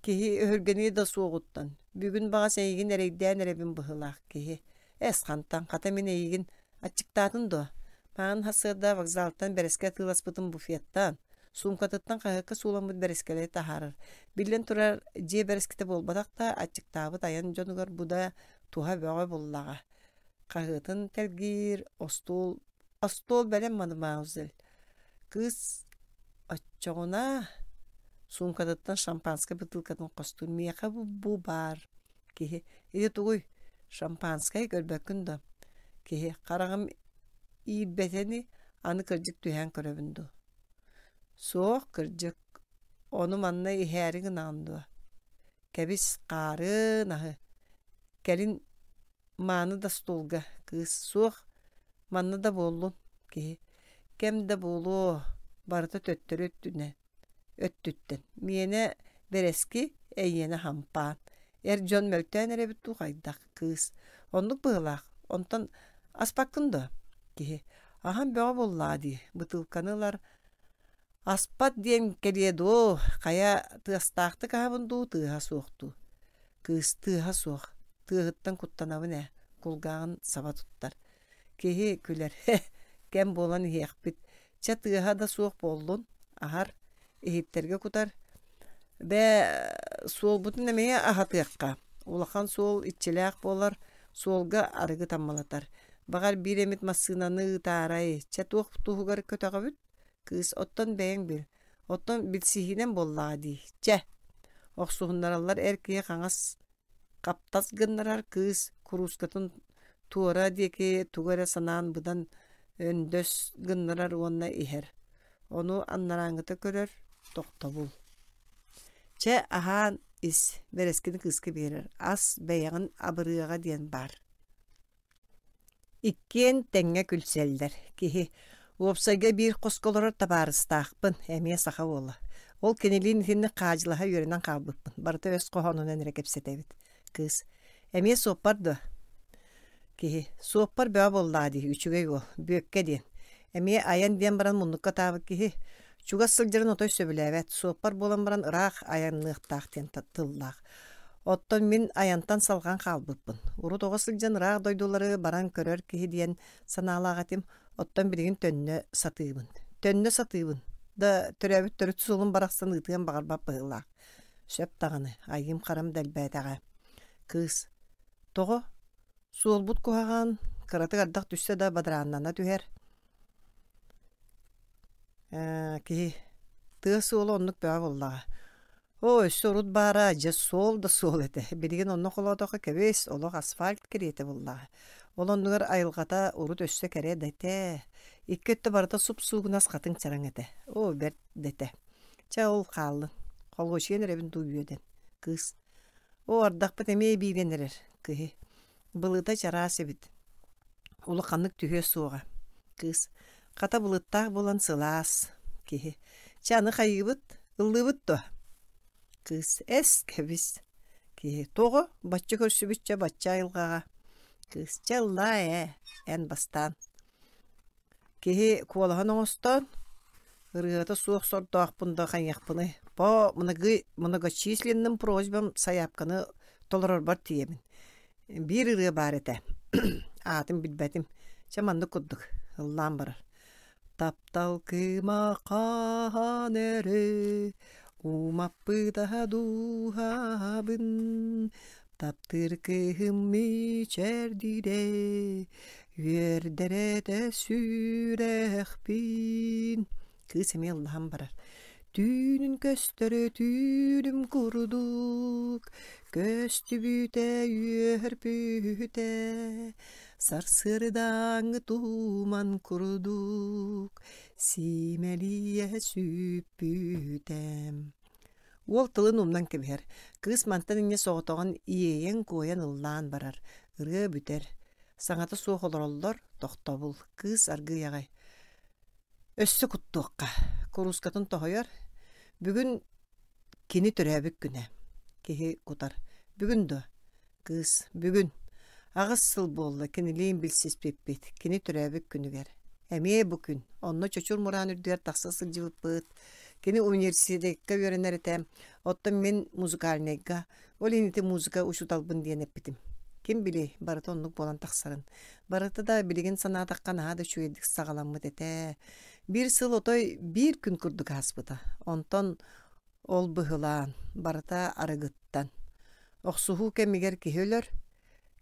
Киһи өһүргэниэ да суоҕуттан. Бүгүн баҕас эйигин эрэйдээн эрэбин быһыылаах киһи. Эс хантан, хата мин эйигин аччыктаатын дуо? Маҕан сарсыарда вокзалтан бэрэскэ атыыласпытым буфеттан, суумкатыттан хаһыакка сууламмыт бэрэскэлэри таһаарар. Биллэн турар, дьиэ бэрэскитэ буолбатах да, аччыктаабыт айан дьонугар бу да туһа бөҕө буллаҕа. Хаһыатын тэлгиир, остуол, остуол бэлэм мадемуазель. Кыыс оччоҕуна суумкатыттан шампанскай бытыылкатын хостуур. Миэхэ бу, бу баар. Киһи. Ити тугуй? Шампанскай көрбөккүн да? Киһи. Хараҕым иирбэтэни аны кырдьык түһээн көрөбүн дуу? Суох, кырдьык. Ону манна иһээри гынаҕын дуо? Кэбис, хаарын аһы. Кэлин мааны да столга. Кыыс. Суох, манна да буоллун. Киһи. Кэм да буолуо, барыта төттөрү өттүнэн өттүттэн. Миэнэ бэрэски, эйиэнэ хампаан. Эр дьон мөлтөөн эрэбит дуу хайдах? Кыыс. Оннук быһыылаах. Онтон аспаккын дуо? Киһи. Аһан бөҕө буоллаҕа дии. Бытыылканы ылар. Аспат диэн кэлиэ дуо? Хайа тыастаахтык аһабын дуу, тыаһа суох дуу? Кыыс тыаһа суох. Тыаһыттан куттанабын ээ. Кулгааҕын саба туттар. Киһи күлэр. Кэм буолан иһиэхпит. Чэ тыаһа да суох буоллун. Аһар. Иһиттэргэ кутар. Бээ, суолбутун эмиэ аһатыахха. Улахан суол иччилээх буолар, суолга арыгы таммалатар. Баҕар биир эмит массыынаны ыытаарай, чэ туох туһугар көтөҕөбүт? Кыыс, оттон бэйэҥ бил. Оттон билсиһиинэн буоллаҕа дии. Чэ. Охсуһуннараллар эр киһи хаҥас хаптас гыннарар кыыс куруускатын туора диэки тугу эрэ санаан быдан өндөс гыннарар уонна иһэр. Ону анарааҥҥыта көрөр, тохтобул. Чэ, аһаан ис, бэрэскини кыыска биэрэр, ас бэйэҕин абырыаҕа диэн баар. Иккиэн тэҥҥэ күлсэллэр. Киһи уопсайга биир хоско олорор табаарыстаахпын, эмиэ саха уола. Ол кинилиин итинник хаадьылаһа үөрэнэн хаалбыппын. Барыта өс хоһоонунан эрэ кэпсэтэбит. Кыыс эмиэ суоппар дуо? Киһи суоппар бөҕө буоллаҕа дии, үчүгэй уол, Бүөккэ диэн. Эмиэ айан диэн баран муннукка ытаабыт киһи. Чугас сылдьарын отой сөбүлээбэт, суоппар буолан баран ыраах айанныахтаах диэн тыллаах. Оттон мин айантан салҕан хаалбыппын. Урут оҕо сылдьан ыраах дойдулары баран көрөр киһи диэн санаалаах этим. Оттон билигин төннө сатыыбын. Төннө сатыыбын. Да төрөөбүт төрүт суолум барахсан ыытыан баҕарбат быһыылаах. Сөп даҕаны, айыым-харам да элбээтэҕэ. Кыыс. Тоҕо? Суолбут куһаҕан, кыратык ардах түстэ да бадарааннана түһэр. Ээ, киһи тыа суола оннук бөҕө буоллаҕа. Оо, өссө урут баара, дьэ суол да суол этэ. Билигин онно холоотоххо кэбис, олох асфальт кэриэтэ буоллаҕа. Ол оннугар айылҕата урут өссө кэрэ да этэ. Икки өттө барыта суп-суугунас хатыҥ чараҥ этэ. Оо, бэрт да этэ. Чэ, ол хааллын. Холуочуйан эрэбин дуу үөдэн. Кыыс. Оо, ардахпыт эмиэ биирэн эрэр. Киһи. Былыта чараас эбит. Улаханнык түһүө суоҕа. Кыыс. Хата былыттаах буолан сылаас. Киһи. Чэ, аны хайыыбыт? Ыллыыбыт дуо? Кыыс. Эс, кэбис. Киһи. Тоҕо? Бачча көрсүбүччэ бачча айылҕаҕа. Кыыс. Чэ, ыллаа ээ. Эн бастаан. Киһи куолаһын оҥостон, ырыата суох сордоохпун да хайыахпыный. По многочисленным просьбам сайаапканы толорорбор тиийэбин. Биир ырыа баар этэ. Аатын билбэтим. Чэ маннык курдук ыллаан барар. Таптал кыыма хаһан эрэ умаппыта дууһабын таптыыр кыыһым мичээрдиирэ үөрдэр этэ сүрэхпин. Кыыс эмиэ ыллаһан барар. Түүнүн көстөр түүлүм курдук, көстүбүтэ үөрбүтэ, сарсыардааҥҥы туман курдук, симэлийэ сүппүтэ. Уол тылын умнан кэбиһэр. Кыыс мантан инньэ соҕотоҕун иэйэн-куойан ыллаан барар. Ырыа бүтэр. Саҥата суох олороллор, тохтобул. Кыыс аргыый аҕай. Өссө куттуохха. Куруускатын тоһуйар. Бүгүн кини төрөөбүт күнэ. Киһи кутар. Бүгүн дуо? Кыыс. Бүгүн. Аҕыс сыл буолла кинилиин билсиспиппит. Кини төрөөбүт күнүгэр. Эмиэ бу күн. Онно Чочур Мураан үрдүгэр тахса сылдьыбыппыт. Кини университекка үөрэнэр этэ. Оттон мин музыкальнайга. Ол иһин ити музыка учууталбын диэн эппитим. Ким билиэй, барыта оннук буолан тахсарын. Барыта да билигин санаатахха наһаа да үчүгэйдик саҕаламмыт этэ. Биир сыл отой биир күн курдук ааспыта. Онтон ол быһылаан, барыта арыгыттан. Охсуһуу кэмигэр киһи өлөр.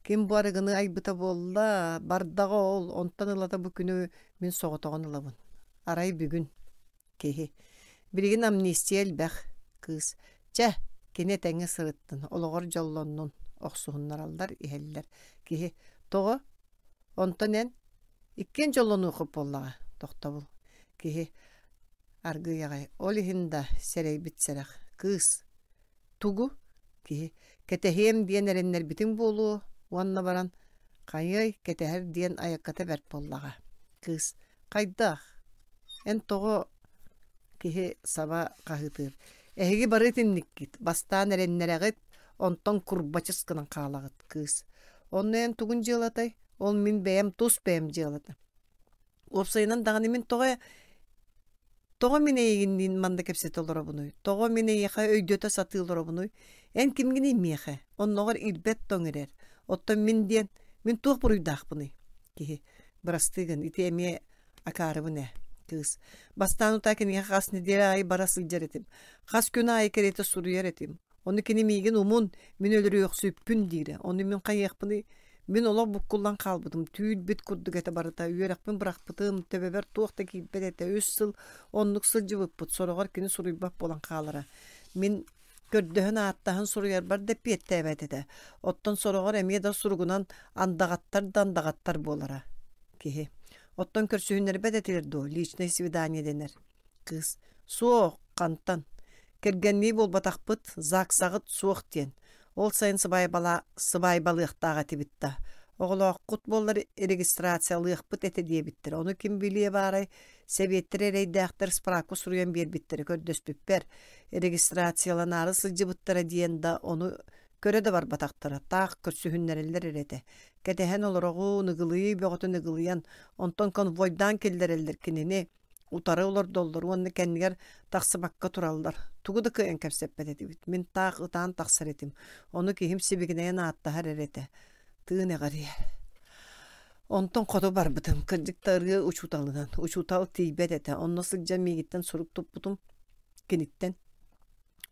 Ким бу арыгыны айбыта буолла, бардаҕа ол, онтон ылата бу күнү мин соҕотоҕун ылабын. Арай бүгүн киһи. Билигин амнистия элбэх кыыс. Чэ, кини этэҥҥэ сырыттын, олоҕор дьоллоннун, охсуһуннараллар, иһэллэр. Киһи тоҕо? Онтон эн иккиэн дьоллонуоххут буоллаҕа, тохтобул. Киһи аргыый аҕай, ол иһин да сэрэйбит сэрэх. Кыыс тугу? Киһи кэтэһиэм диэн эрэннэрбитиҥ буолуо уонна баран хайыай кэтэһэр диэн айакката бэрт буоллаҕа. Кыыс хайдах? Эн тоҕо киһи саба хаһыытыыр. Эһиги бары итинниккит, бастаан эрэннэрэҕит, онтон курбачыс гынан хаалаҕыт кыыс. Онно эн тугун дьыалатай? Ол мин бэйэм тус бэйэм дьыалата. Уопсайынан даҕаны мин тоҕо тоҕо мин эйигинниин манна кэпсэтэ олоробунуй? Тоҕо мин эйиэхэ өйдөтө сатыы олоробунуй? Эн кимҥиний миэхэ? Онноҕор ирбэт тоҥ эрэр. Оттон мин диэн, мин туох буруйдаахпыный? Киһи, бырастыы гын, ити эмиэ акаарыбын ээ. Кыыс. Бастаан утаа киниэхэ хас нэдиэлэ аайы бара сылдьар этим. Хас күн аайы кэриэтэ суруйар этим. Ону кини миигин умун, мин өлөрүөхсүппүн диирэ. Ону мин хайыахпыный? Мин олох буккуллан хаалбытым, түүл-бит курдук этэ барыта, үөрэхпин бырахпытым, төбөбөр туох да киирбэт этэ. Үс сыл оннук сылдьыбыппыт, сороҕор кини суруйбат буолан хаалара. Мин көрдөһөн ааттаһан суруйарбар да эппиэттээбэт этэ. Оттон сороҕор эмиэ да суругунан андаҕаттар да андаҕаттар буолара. Киһи. Оттон көрсүһүннэрбэт этилэр дуо, личное свидание дэнэр. Кыыс. Суох, хантан. Кэргэннии буолбатахпыт, ЗАГСаҕыт суох диэн. Ол сайын сыбаайбала, сыбаайбалыахтаах этибит да. Оҕолооххут буоллар регистрациялыахпыт этэ диэбиттэр. Ону ким билиэ баарай, сэбиэттэр эрэйдээхтэр справка суруйан биэрбиттэрэ көрдөспүппэр. Регистрацияланаары сылдьыбыттара диэн да ону көрө да барбатахтара, таах көрсүһүннэрэллэр эрэ этэ. Кэтэһэн олороҕун, ыгылыйыы бөҕөтүн ыгылыйан, онтон конвойдаан киллэрэллэр кинини утары олордоллор уонна кэннигэр тахсыбакка тураллар. Тугу да кыайан кэпсэппэт этибит. Мин таах ытаан тахсар этим. Ону киһим сибигинэйэн ааттаһар эрэ этэ. Тыын эҕэрийэр. Онтон хоту барбытым. Кырдьык да ырыа учууталынан. Учуутал тиийбэт этэ. Онно сылдьан миигиттэн сурук туппутум. Киниттэн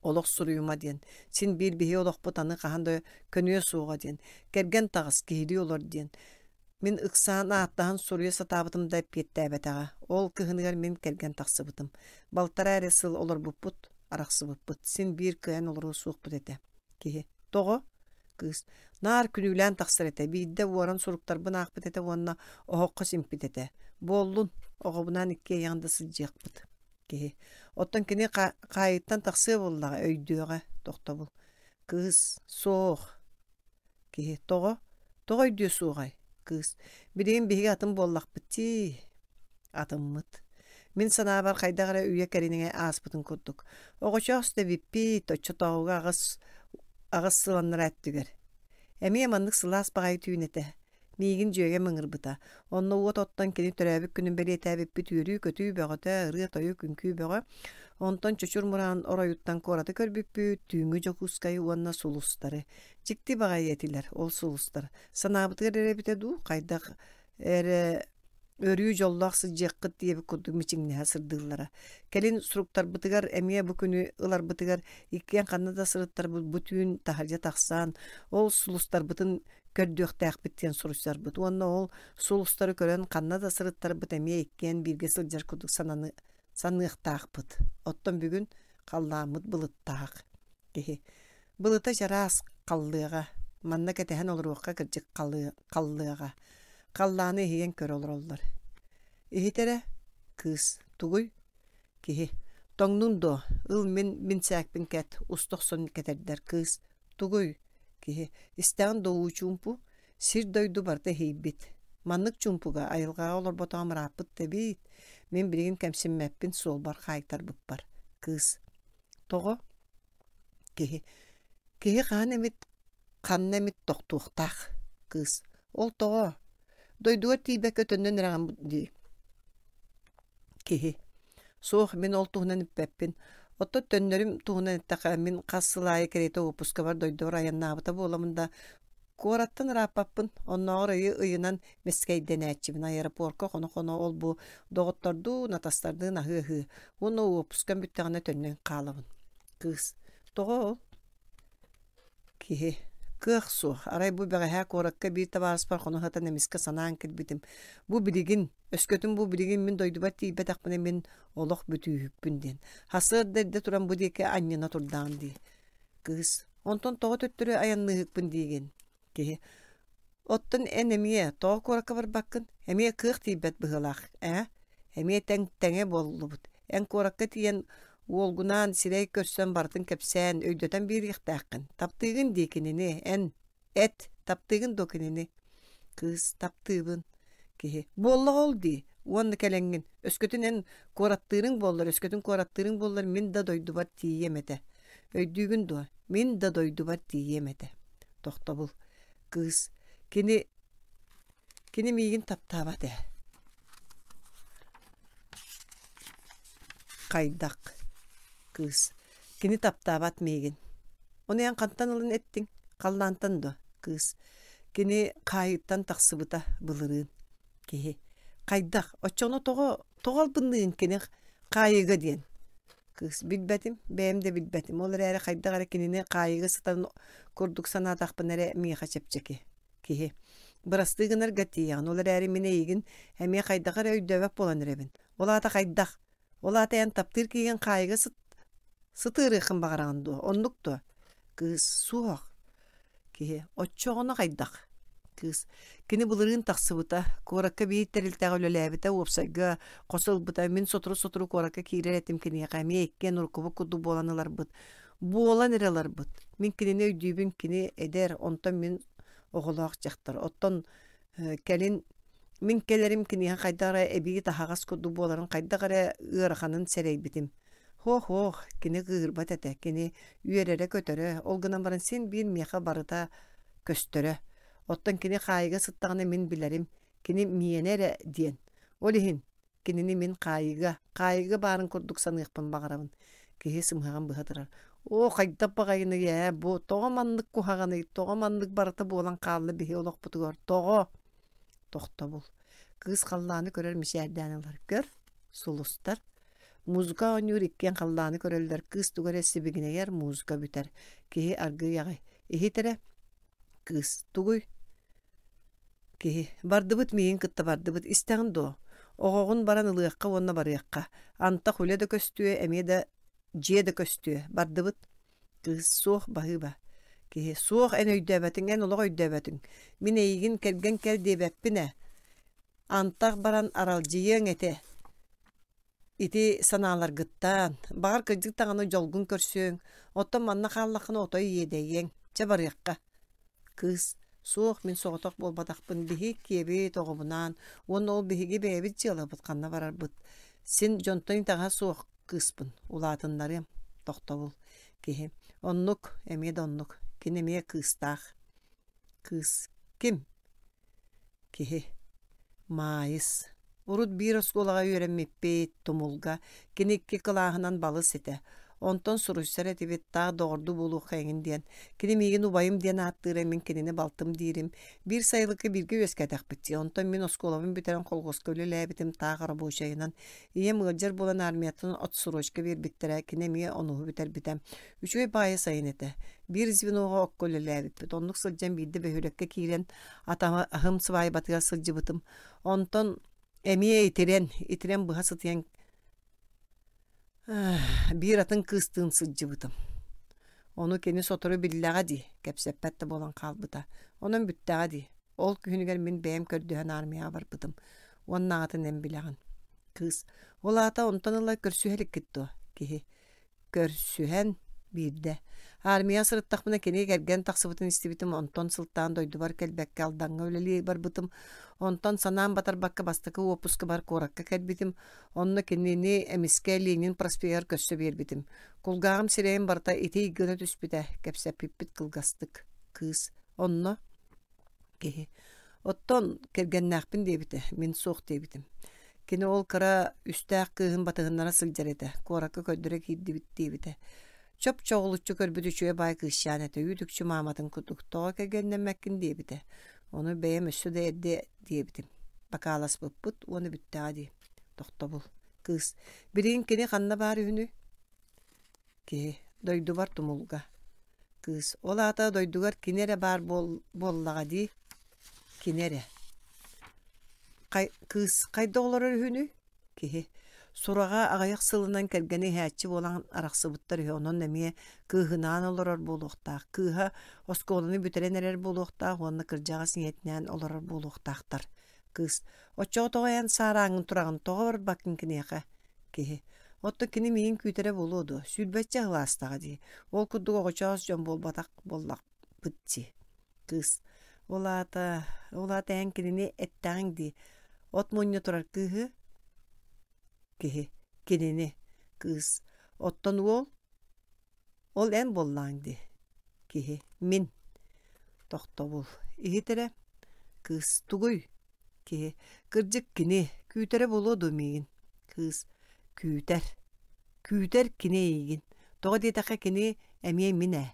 олох суруйума диэн. Син биир биһи олохпут аны хаһан да көнүө суоҕа диэн. Кэргэн таҕыс, киһилии олор диэн. Мин ыксаан ааттаһан суруйа сатаабытым да эппиэттээбэтэҕэ. Ол кыһыныгар мин кэргэн тахсыбытым. Балтараа эрэ сыл олорбуппут, арахсыбыппыт. Син биир кыайан олоруо суохпут этэ. Киһи. Тоҕо? Кыыс. Наар күнүүлээн тахсар этэ. Биирдэ уоран суруктарбын аахпыт этэ уонна оһоххо симпит этэ. Буоллун, оҕобунаан иккиэйэҕин да сылдьыахпыт. Киһи. Оттон кини хаайыттан тахсыа буоллаҕа, өйдүөҕэ. Тохтобул. Кыыс. Суох. Киһи. Тоҕо? Тоҕо өйдүө суоҕай? Кыыс. Билигин биһиги атын буоллахпыт дии. Атыммыт. Мин санаабар хайдах эрэ үйэ кэриҥэ ааспытын курдук. Оҕочоос да эбиппит, оччотооҕуга аҕыс аҕыс сыл аннараа өттүгэр. Эмиэ маннык сылаас баҕайы түүн этэ. Миигин дьүөгэм ыҥырбыта. Онно уот оттон кини төрөөбүт күнүн бэлиэтээбиппит үөрүү-көтүү бөҕөтө, ырыа-тойук, үҥкүү бөҕө. Онтон Чочур Мураан оройуттан куораты көрбүппүт, түүҥҥү Дьокуускайы уонна сулустары. Дьикти баҕайы этилэр ол сулустар. Санаабытыгар эрэ эбитэ дуу, хайдах эрэ өрүү дьоллоох сылдьыаххыт диэбит курдук мичиҥнэһэ сырдыыллара. Кэлин суруктарбытыгар эмиэ бу күнү ыларбытыгар иккиэн ханна да сырыттарбыт бу түүн таһырдьа тахсан, ол сулустарбытын көрдүөхтээхпит диэн суруйсарбыт. Уонна ол сулустары көрөн ханна да сырыттарбыт эмиэ иккиэн бииргэ сылдьар курдук сананы саныахтаахпыт. Оттон бүгүн халлааммыт былыттаах киһи. Былыта чараас халлыаҕа. Манна кэтэһэн олоруохха кырдьык халлыаҕа. Халлааны иһийэн көрө олороллор. Иһит эрэ, кыыс, тугуй? Киһи. Тоҥнуҥ дуо? Ыл мин бинсээкпин кэт, уста охсон кэтэрдэр кыыс. Тугуй? Киһи. Истэҕин дуо уу чуумпу? Сир-дойду барыта иһийбит. Маннык чуумпуга айылҕаҕа олорботоҕум ырааппыт да эбит. Мин билигин кэмсиммэппин суолбар хаайтарбыппар. Кыыс. Тоҕо? Киһи. Киһи хаһан эмит ханна эмит тохтуохтаах. Кыыс. Ол тоҕо? Дойдугар тиийбэккэ төннөн эрэҕин дии. Киһи. Суох, мин ол туһунан эппэппин. Оттон төннөрүм туһунан эттэххэ, мин хас сыл аайы кэриэтэ уоппускабар дойдубар айаннаабыта буоламын да, куораттан ырааппаппын. Оннооҕор ыйы ыйынан мэскэйдэнээччибин. Аэропорка хоно-хоно ол-бу доҕоттордуун, атастардыын аһыы-аһыы. Уонна уоппускам бүттэҕинэ төннөн хаалабын. Кыыс. Тоҕо ол? Киһи. Кыах суох. Арай бу бэҕэһээ куоракка биир табаарыспар хоно сытан эмискэ санаан кэлбитим. Бу билигин, өскөтүн бу билигин мин дойдубар тиийбэтэхпинэ мин олох бүтүүһүкпүн диэн. Сарсыарда эрдэ туран бу диэки анньына турдаҕым дии. Кыыс. Онтон тоҕо төттөрү айанныыһыкпын диигин? Киһи. Оттон эн эмиэ тоҕо куоракка барбаккын? Эмиэ кыах тиийбэт быһыылаах, ээ? Эмиэ тэҥ тэҥэ буоллубут. Эн куоракка тиийэн уолгунаан сирэй көрсөн барытын кэпсээн, өйдөтөн биэриэхтээххин. Таптыыгын дии кинини, эн эт, таптыыгын дуо кинини? Кыыс, таптыыбын. Киһи, буоллаҕа ол дии, уонна кэлэҥҥин. Өскөтүн эн куораттыырыҥ буоллар, өскөтүн куораттыырыҥ буоллар, мин да дойдубар тиийиэм этэ. Өйдүүгүн дуо? Мин да дойдубар тиийиэм этэ. Тохтобул. Кыыс, кини, кини миигин таптаабат ээ. Хайдах? Кыыс. Кини таптаабат миигин. Ону эн хантан ылан эттиҥ? Халлаантан дуо? Кыыс. Кини хаайыттан тахсыбыта былырыын. Киһи. Хайдах? Оччоҕуна тоҕо, тоҕо албынныыгын кини хаайыыга диэн? Кыыс. Билбэтим, бэйэм да билбэтим. Ол эрээри хайдах эрэ кинини хаайыыга сытарын курдук санаатахпына эрэ миэхэ чэпчэки. Киһи. Бырастыы гынарга тиийэҕин, ол эрээри мин эйигин эмиэ хайдах эрэ өйдөөбөт буолан эрэбин. Ол аата хайдах? Ол аата эн таптыыр киһигин хаайыыга сыт сытыарыаххын баҕараҕын дуо? Оннук дуо? Кыыс. Суох. Киһи. Оччоҕуна хайдах? Кыыс. Кини былырыын тахсыбыта. Куоракка биир тэрилтэҕэ үлэлээбитэ, уопсайга хос ылбыта. Мин сотору-сотору куоракка киирэр этим киниэхэ. Эмиэ иккиэн уруккубут курдук буолан ыларбыт. Буолан эрэ ыларбыт. Мин кинини өйдүүбүн, кини эдэр, онтон мин оҕолоох дьахтар. Оттон кэлин мин кэлэрим киниэхэ хайдах эрэ эбии таһаҕас курдук буоларын хайдах эрэ ыараханын сэрэйбитим. Һуох-һуох, кини кыыһырбат этэ, кини үөрэрэ-көтөрө, ол гынан баран син биир миэхэ барыта көстөрө. Оттон кини хаайыыга сыттаҕына мин билэрим, кини миэнэ эрэ диэн. Ол иһин кинини мин хаайыыга, хаайыыга баарын курдук саныахпын баҕарабын. Киһи сымыһаҕын быһа турар. Оо, хайдах баҕайыный ээ, бу тоҕо маннык куһаҕаный, тоҕо маннык барыта буолан хаалла биһи олохпутугар, тоҕо? Тохтобул. Кыыс халлааны көрөр мичээрдээн ылар. Көр, сулустар. Музыка оонньуур иккиэн халлааны көрөллөр. Кыыс тугу эрэ сибигинэйэр, музыка бүтэр. Киһи аргыый аҕай. Иһит эрэ. Кыыс тугуй? Киһи бардыбыт миигин кытта бардыбыт истэҕин дуо? Оҕоҕун баран ылыахха уонна барыахха. Антах үлэ да көстүө, эмиэ да дьиэ да көстүө. Бардыбыт. Кыыс суох баһыыба. Киһи суох эн өйдөөбөтүҥ, эн олох өйдөөбөтүҥ. Мин эйигин кэргэн кэл диэбэппин ээ. Антах баран аралдьыйыаҥ этэ. Ити санааларгыттан, баҕар кырдьык даҕаны дьолгун көрсүөҥ, оттон манна хааллаххына отой иэдэйиэҥ. Чэ барыахха. Кыыс суох мин соҕотох буолбатахпын, биһи киэбит оҕобунаан уонна ол биһиги бэйэбит дьыалабыт ханна барарбыт. Син дьонтон итэҕэһэ суох кыыспын, улаатыннарыам. Тохтобул. Киһи. Оннук, эмиэ да оннук. Кини эмиэ кыыстаах. Кыыс. Ким? Киһи. Маайыс. Урут биир оскуолаҕа үөрэммиппит, Тумулга. Кини икки кылааһынан балыс этэ. Онтон суруйсар этибит, таах доҕордуу буолуохха эҥин диэн. Кини миигин убайым диэн ааттыыра, мин кинини балтым диирим. Биир сайылыкка бииргэ үөскээтэхпит дии. Онтон мин оскуолабын бүтэрэн колхуоска үлэлээбитим, таах рабочайынан. Ийэм ыалдьар буолан армияттан отсрочка биэрбиттэрэ, кини эмиэ онуһу бүтэрбитэ. Үчүгэй баайы сайын этэ. Биир звеноҕа окко үлэлээбиппит. Оннук сылдьан биирдэ бөһүөлэккэ киирэн атаһым сыбаайбатыгар сылдьыбытым. Онтон эмиэ итирэн, итирэн быһа сытыйан биир атын кыыстыын сылдьыбытым. Ону кини сотору биллэҕэ дии, кэпсэппэт да буолан хаалбыта. Онон бүттэҕэ дии. Ол күһүнүгэр мин бэйэм көрдөһөн армияҕа барбытым. Уоннааҕытын эн билэҕин. Кыыс. Ол аата онтон ыла көрсүһэ иликкит дуо? Киһи. Көрсүһэн биирдэ. Армияҕа сырыттахпына кини кэргэн тахсыбытын истибитим, онтон сылтаан дойдубар кэлбэккэ Алдаҥҥа үлэлии барбытым. Онтон санаам батарбакка бастакы уоппускабар куоракка кэлбитим. Онно кинини эмискэ Ленин проспегар көрсө биэрбитим. Кулгааҕым сирэйим барыта итий гына түспүтэ, кэпсэппиппит кылгастык. Кыыс. Онно киһи. Оттон кэргэннээхпин диэбитэ, мин суох диэбитим. Кини ол кыра үстээх кыыһын батыһыннара сылдьар этэ, куоракка көрдөрө киирдибит диэбитэ. Чоп-чоҕулуччу көрбүт үчүгэй баай кыысчаан этэ, үүт-үкчү мааматын курдук тоҕо кэргэннэммэккин диэбитэ. Ону бэйэм өссө да эрдэ диэбитим. Бакааласпыппыт уонна бүттэҕэ дии. Тохтобул. Кыыс. Билигин кини ханна баар үһүнүй? Киһи. Дойдубар Тумулга. Кыыс. Ол аата дойдугар кини эрэ баар буол буоллаҕа дии. Кини эрэ. Хай кыыс хайда олорор үһүнүй? Киһи. Сураҕа аҕыйах сылынан кэргэнэ иһээччи буолан арахсыбыттар үһү, онон эмиэ кыыһынаан олорор буолуохтаах. Кыыһа оскуоланы бүтэрэн эрэр буолуохтаах уонна кырдьаҕас ийэтинээн олорор буолуохтаахтар. Кыыс. Оччоҕо тоҕо эн саарааҥҥын тураҕын, тоҕо барбаккын киниэхэ? Киһи. Оттон кини миигин күүтэрэ буолуо дуо? Сүүрбэччэ сыл аастаҕа дии. Ол курдук оҕочоос дьон буолбатах буоллахпыт дии. Кыыс. Ол аата, ол аата эн кинини эттэҕиҥ дии. От мунньа турар кыыһы киһи. Кинини. Кыыс. Оттон уол? Ол эн буоллаҕыҥ дии. Киһи. Мин. Тохтобул. Иһит эрэ. Кыыс. Тугуй? Киһи. Кырдьык кини. Күүтэрэ буолуо дуо миигин? Кыыс. Күүтэр. Күүтэр кини эйигин. Тоҕо диэтэххэ кини эмиэ мин ээ.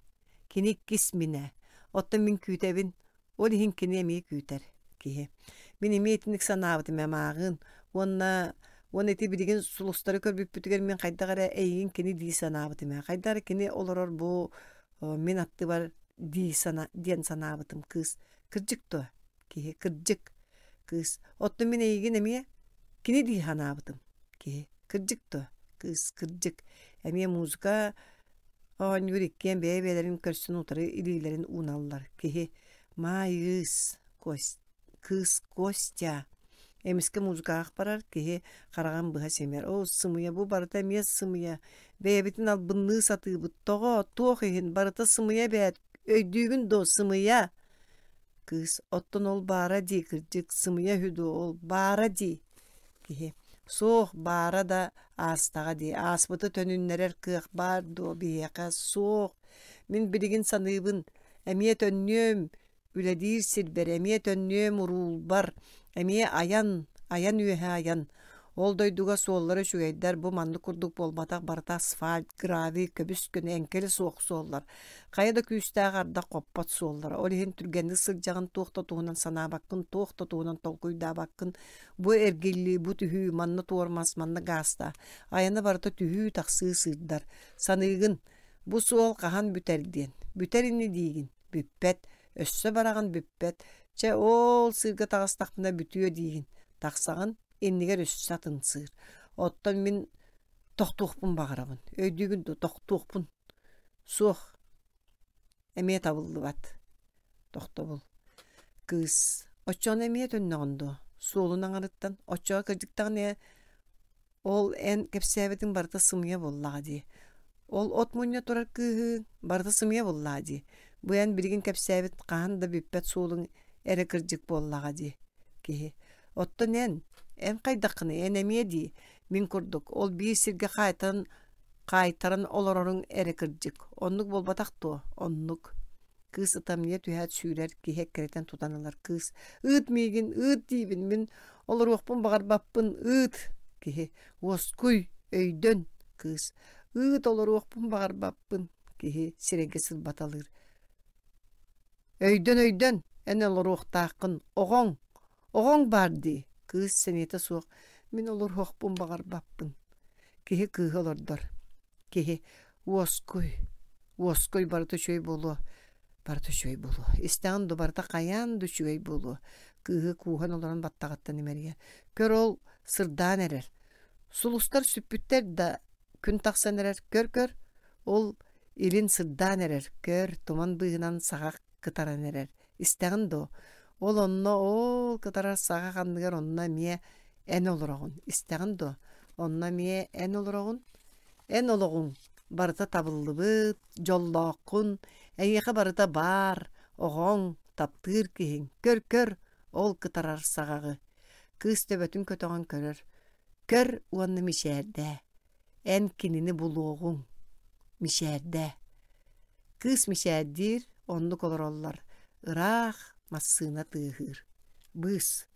Кини иккис мин ээ. Оттон мин күүтэбин. Ол иһин кини эмиэ күүтэр. Киһи. Мин эмиэ итинник санаабытым ээ мааҕыын. Уонна уонна ити билигин сулустары көрбүппүтүгэр мин хайдах эрэ эйигин кини дии санаабытым ээ. Хайдах эрэ кини олорор бу мин аттыбар дии сана диэн санаабытым кыыс. Кырдьык дуо? Киһи. Кырдьык. Кыыс. Оттон мин эйигин эмиэ кини дии санаабытым. Киһи. Кырдьык дуо? Кыыс. Кырдьык. Эмиэ музыка оонньуур иккиэн бэйэ-бэйэлэрин көрсөн утары илиилэрин ууналлар. Киһи. Маайыыс. Кыыс Костя. Эмискэ музыкаҕа барар киһи хараҕын быһа симэр. Оо, сымыйа, бу барыта эмиэ сымыйа. Бэйэбитин албынныы сатыыбыт. Тоҕо, туох иһин, барыта сымыйа эбээт. Өйдүүгүн дуо, сымыйа? Кыыс, оттон ол баара дии, кырдьык, сымыйа үһү дуо, ол баара дии. Киһи, суох, баара да аастаҕа дии. Ааспыты төнүннэрэр кыах баар дуо биһиэхэ? Суох. Мин билигин саныыбын, эмиэ төннүөм, үлэлиир сирбэр, эмиэ төннүөм уруулбар, эмиэ айан, айан үөһэ айан. Ол дойдуга суоллара үчүгэйдэр, бу маннык курдук буолбатах, барыта асфальт, гравий, көбүс-көнө, эҥкилэ суох суоллар. Хайа да күүстээх ардах хоппот суоллара. Ол иһин түргэнник сылдьаҕын, туох да туһунан санаабаккын, туох да туһунан толкуйдаабаккын. Бу эргиллии, бу түһүү, манна туормас, манна гаастаа. Айана барыта түһүү-тахсыы сыырдар. Саныыгын, бу суол хаһан бүтэр диэн. Бүтэр ини диигин. Бүппэт. Өссө бараҕын бүппэт. Чэ, ол сыырга таҕыстахпына бүтүө диигин. Тахсаҕын, иннигэр өссө атын сыыр. Оттон мин тохтуохпун баҕарабын. Өйдүүгүн дуо, тохтуохпун. Суох. Эмиэ табыллыбат. Тохтобул. Кыыс. Оччоҕуна эмиэ төннөҕүн дуо? Суолун аҥарыттан. Оччоҕо кырдьыктаҕына ол эн кэпсээбитиҥ барыта сымыйа буоллаҕа дии. Ол от мунньа турар кыыһыҥ барыта сымыйа буоллаҕа дии. Бу эн билигин кэпсээбит хаһан да бүппэт суолуҥ эрэ кырдьык буоллаҕа дии. Киһи. Оттон эн, эн хайдаххыный, эн эмиэ дии, мин курдук, ол биир сиргэ хаайтаран, хаайтаран олороруҥ эрэ кырдьык. Оннук буолбатах дуо? Оннук. Кыыс ытамньыйа түһээт сүүрэр, киһи эккирэтэн тутан ылар. Кыыс, ыыт миигин, ыыт диибин, мин олоруохпун баҕарбаппын, ыыт. Киһи, уоскуй, өйдөн. Кыыс, ыыт олоруохпун баҕарбаппын. Киһи сирэйгэ сырбаталыыр. Өйдөн, өйдөн, эн олоруохтааххын, оҕоҥ, оҕоҥ баар дии. Кыыс сэниэтэ суох, мин олоруохпун баҕарбаппын. Киһи кыыһы олордор. Киһи, уоскуй, уоскуй, барыта үчүгэй буолуо, барыта үчүгэй буолуо. Истэҕин ду барыта хайаан да үчүгэй буолуо. Кыыһы кууһан олорон баттаҕыттан имэрийэр. Көр ол сырдаан эрэр. Сулустар сүппүттэр да күн тахсан эрэр. Көр-көр, ол илин сырдаан эрэр. Көр, туман быыһынан саҕах кытаран эрэр. Истэҕин дуо? Ол онно ол кытарар саҕах анныгар онно эмиэ эн олороҕун. Истэҕин дуо? Онно эмиэ эн олороҕун. Эн олоҕуҥ барыта табыллыбыт, дьоллооххун, эйиэхэ барыта баар, оҕоҥ, таптыыр киһиҥ. Көр-көр, ол кытарар саҕаҕы. Кыыс төбөтүн көтөҕөн көрөр. Көр уонна мичээрдээ. Эн кинини булуоҕуҥ. Мичээрдээ. Кыыс мичээрдиир, оннук олороллор. Ыраах массыына тыаһыыр. Быыс.